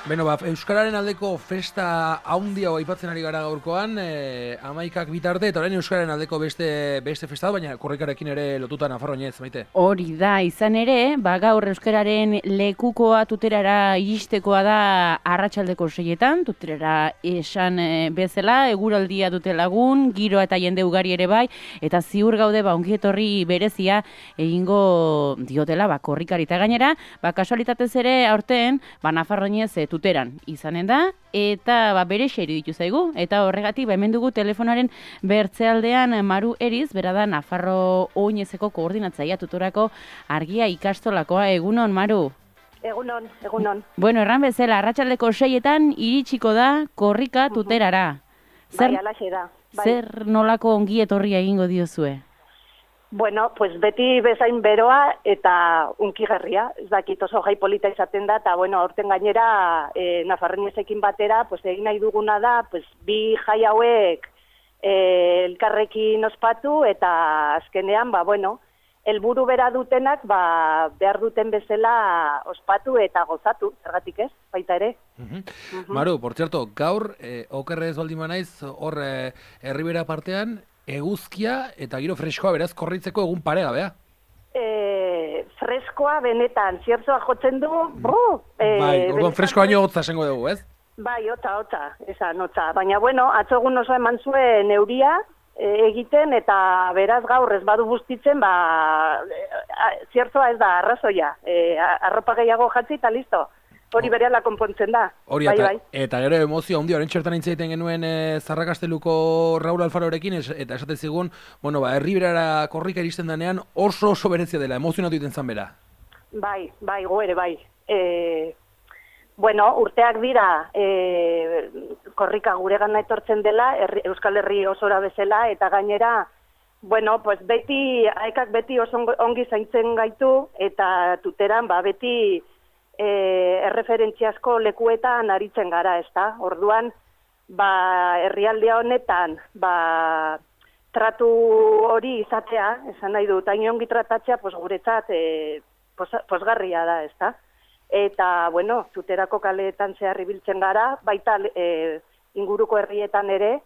Beno, Euskararen aldeko festa haundia aipatzen ari gara gaurkoan, 11ak bitarte, eta orain Euskararen aldeko beste festa, baina korrikarekin ere lotuta Nafarroinez, Maite. Hori da, izan ere, gaur Euskararen lekukoa tuterara iristekoa da arratsaldeko 6etan, tuterara esan bezala, eguraldia dute lagun, giroa eta jende ugari ere bai, eta ziur gaude ongietorri berezia egingo diotela korrikari eta gainera, kasualitatez ere aurten Nafarroinez tuteran izanen da, eta berexe iruditu zaigu, eta horregatik hemen dugu telefonaren bertzealdean Maru Eriz, bera da Nafarro Oinezeko koordinatzailea tutorako argia ikastolakoa. Egunon, Maru? Egunon. Bueno, erran bezala, arratsaldeko 6etan iritsiko da korrika tuterara. Bai, alaxe da. Zer nolako ongi etorria egingo diozue? Bueno, pues beti bezain beroa eta unkigarria. Ez dakit oso jai polita izaten da, eta bueno, aurten gainera Nafarroinezekin batera, pues egin nahi duguna da, pues bi jai hauek elkarrekin ospatu, eta azkenean, helburu bera dutenak, behar duten bezala ospatu eta gozatu, zergatik ez, baita ere. Maru, por cierto, gaur, okerrez baldin banaiz, hor Erribera partean, eguzkia eta giro freskoa beraz korritzeko egun parea, bea? Freskoa benetan, ziertzoa jotzen du, orduan freskoa baino hotza esango dugu, ez? Bai, hotza, esan hotza. Baina, atzo egun oso eman zuen euria egiten, eta beraz gaur ez badu bustitzen, ziertzoa ez da arrazoia. Arropa gehiago jatzi eta listo. Hori berehala konpontzen da. Hori, eta gero emozio handi, orain txertan intzaiten genuen Zarrakasteluko Raul Alfarorekin, eta esaten zigun, Erriberara korrika iristen denean oso berezia dela, emozionatu egiten zan bera. Bai, go ere, bai. Urteak dira korrika guregana etortzen dela, Euskal Herri osora bezala, eta gainera, beti, aekak beti oso ongi zaintzen gaitu, eta tuteran, beti erreferentziazko lekuetan aritzen gara, ezta? Orduan, herrialdea honetan, tratu hori izatea, esan nahi dut, hain ongi tratatzea, guretzat posgarria da, ezta? Eta, tuterako kaleetan zehar ibiltzen gara, baita inguruko herrietan ere,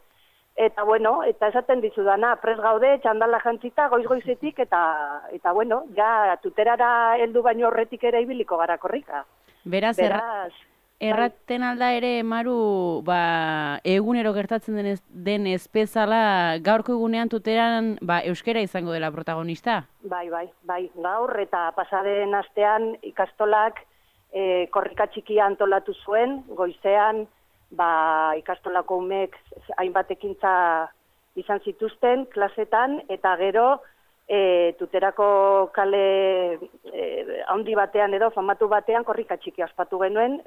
eta, eta esaten dizudana, pres gaude, txandala jantzita, goiz-goizetik, eta, ja, tuterara heldu baino horretik ere ibiliko gara korrika. Beraz, erraten alda ere, Maru, egunero gertatzen den bezala, gaurko egunean tuteran, euskera izango dela protagonista? Bai, gaur, eta pasaden astean ikastolak korrika txikia antolatu zuen, goizean, ikastolako umek hainbat ekintza izan zituzten klasetan, eta gero tuterako kale handi batean edo famatu batean korrika txiki ospatu genuen,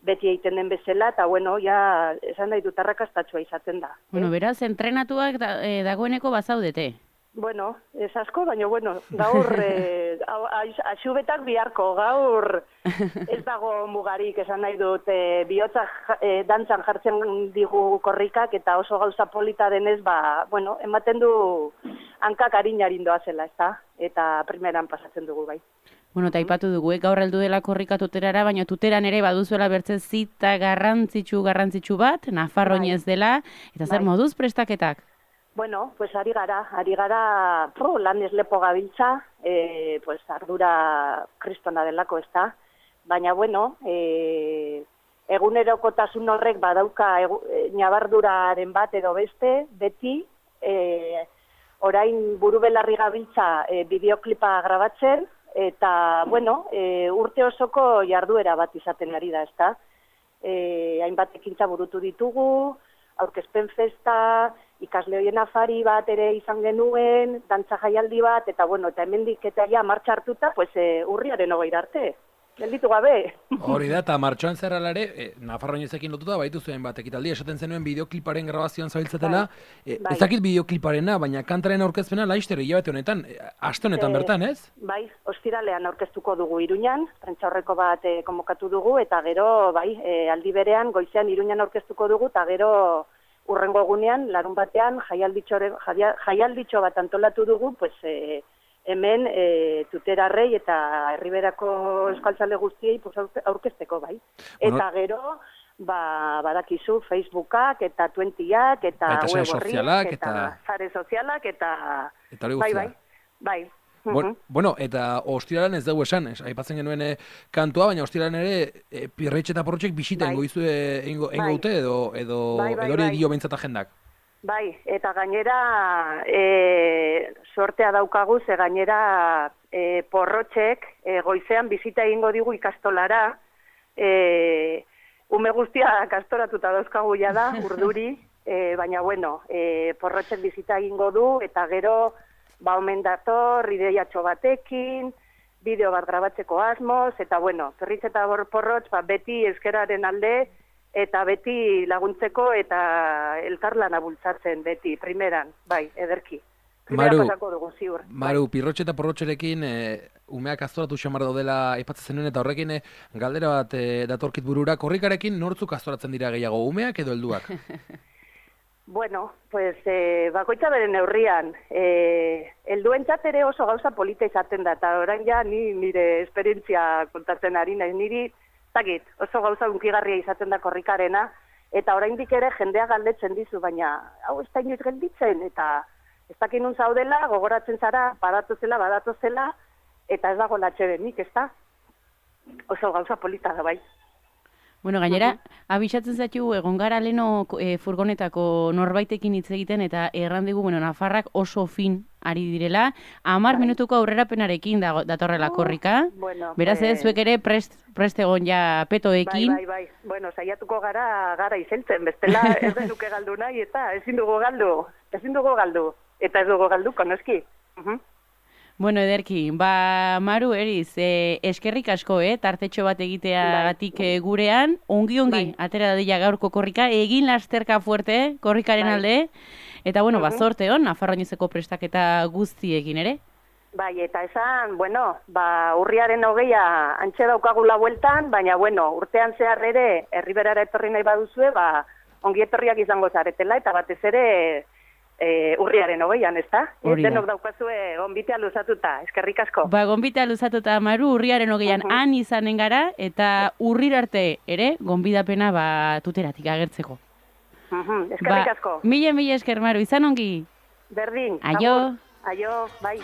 beti egiten den bezala, eta ja esan nahi dut arrakastatsua izaten da. Beraz, entrenatuak dagoeneko bazaudete? Ez asko, baina, gaur axubetak biharko, gaur ez dago mugarik, esan nahi dut, bihotzak dantzan jartzen digu korrikak, eta oso gauza polita denez, ematen du hankak harin doazela, ezta? Eta primeran pasatzen dugu, bai. Eta aipatu dugu, gaur heldu dela korrika tuterara, baina tuteran ere baduzuela bertze zita garrantzitsu bat, Nafarroinez dela, eta zer moduz prestaketak? Ari gara lan lepo gabiltza, ardura kristona delako, ez da? Baina, egunerokotasun horrek badauka nabarduraren bat edo beste, beti, orain buru belarri gabiltza bideoklipa grabatzen, eta, urte osoko jarduera bat izaten ari da, ez da? Hainbat ekintza burutu ditugu, aurkezpen festa, ikasle hoien afari bat ere izan genuen, dantza jaialdi bat, eta hemendik eta ja martxa hartuta, urriaren 20 arte. Gelditu gabe. Hori da, eta martxoan zerralare, Nafarroinezekin lotuta, baitu zuen bat ekitaldi, esaten zenuen bideokliparen grabazioan zabiltzatela, ez dakit bideokliparena, baina kantaren aurkezpena laizter hilabete honetan, aste honetan bertan, ez? Bai, ostiralean aurkeztuko dugu Iruñan, prentsaurreko bat konbokatu dugu, eta gero, aldi berean, goizean Iruñan aurkeztuko dugu, eta gero urrengo egunean, larun batean, jaialditxo bat antolatu dugu, hemen tuterarrei eta herriberako euskaltzale guztiei aurkezteko, bai. Eta gero, badakizu Facebookak eta Twentyak eta sare sozialak eta sare sozialak eta hori guztia. Bai. Bueno, eta ostiralan ez dugu esan, aipatzen genuen kantua, baina ostiralan ere Pirretxe eta Porrotxek bisita ingo dute edo hori dio behintzat agendak. Bai, eta gainera sortea daukagu, ze gainera Porrotxek goizean bisita egingo digu ikastolara, ume guztia kastoratuta dauzkagu da, urduri, baina bueno, Porrotxek bisita egingo du, eta gero omen dator, ideiatxo batekin, bideo bat grabatzeko asmoz, eta bueno, Pirritxe eta Porrotx beti euskararen alde, eta beti laguntzeko eta elkarlana bultzatzen beti, primeran, bai, ederki. Maru, Pirrotxe eta Porrotxerekin umeak aztoratu xamar daudela aipatzen zenuen, eta horrekin galdera bat datorkit burura, korrikarekin nortzuk aztoratzen dira gehiago, umeak edo helduak? Bueno, pues bakoitza bere neurrian, helduentzat ere oso gauza polita izaten da, eta orain ja nire esperientzia kontatzen ari naiz, niri zakit, oso gauza unkigarria izaten da korrikarena, eta oraindik ere jendea galdetzen dizu, baina hau ez da inoiz gelditzen, eta ez dakin nun zaudela, gogoratzen zara, badatozela, eta ez dago latxebenik, ez da? Oso gauza polita da bai. Bueno, gainera, abisatzen zaitu egon gara leno furgonetako norbaitekin hitz egiten eta errandigu, bueno, nafarrak oso fin ari direla, 10 minutuko aurrerapenarekin datorrela korrika. Beraz ez, zuek ere prest egon ja petoekin. Bai. Bueno, saiatuko gara izeltzen, bestela ez denuke galdu nahi, eta ezin dugu galdu, eta ez dugu galduko, noski. Bueno, ederki, Maru, Eriz, eskerrik asko, tartetxo bat egiteagatik gurean, ongi, atera dadila gaurko korrika, egin lasterka fuerte, korrikaren alde, eta, bueno, zorte hon, Nafarroinezeko prestaketa guztiekin ere? Bai, eta esan, bueno, urriaren 20 antxe daukagula bueltan, baina, bueno, urtean zehar ere, herriberara etorri nahi baduzue, ongi etorriak izango zaretela, eta batez ere, urriaren 20an, ez da? Denok daukazue gonbitea luzatuta, eskerrik asko. Gonbitea luzatuta, Maru, urriaren 20an han izanen gara, eta urrir arte ere, gonbidapena tuteratik agertzeko. Eskerrik asko. Mila esker, Maru, izan ongi? Berdin. Aio. Aio, bai.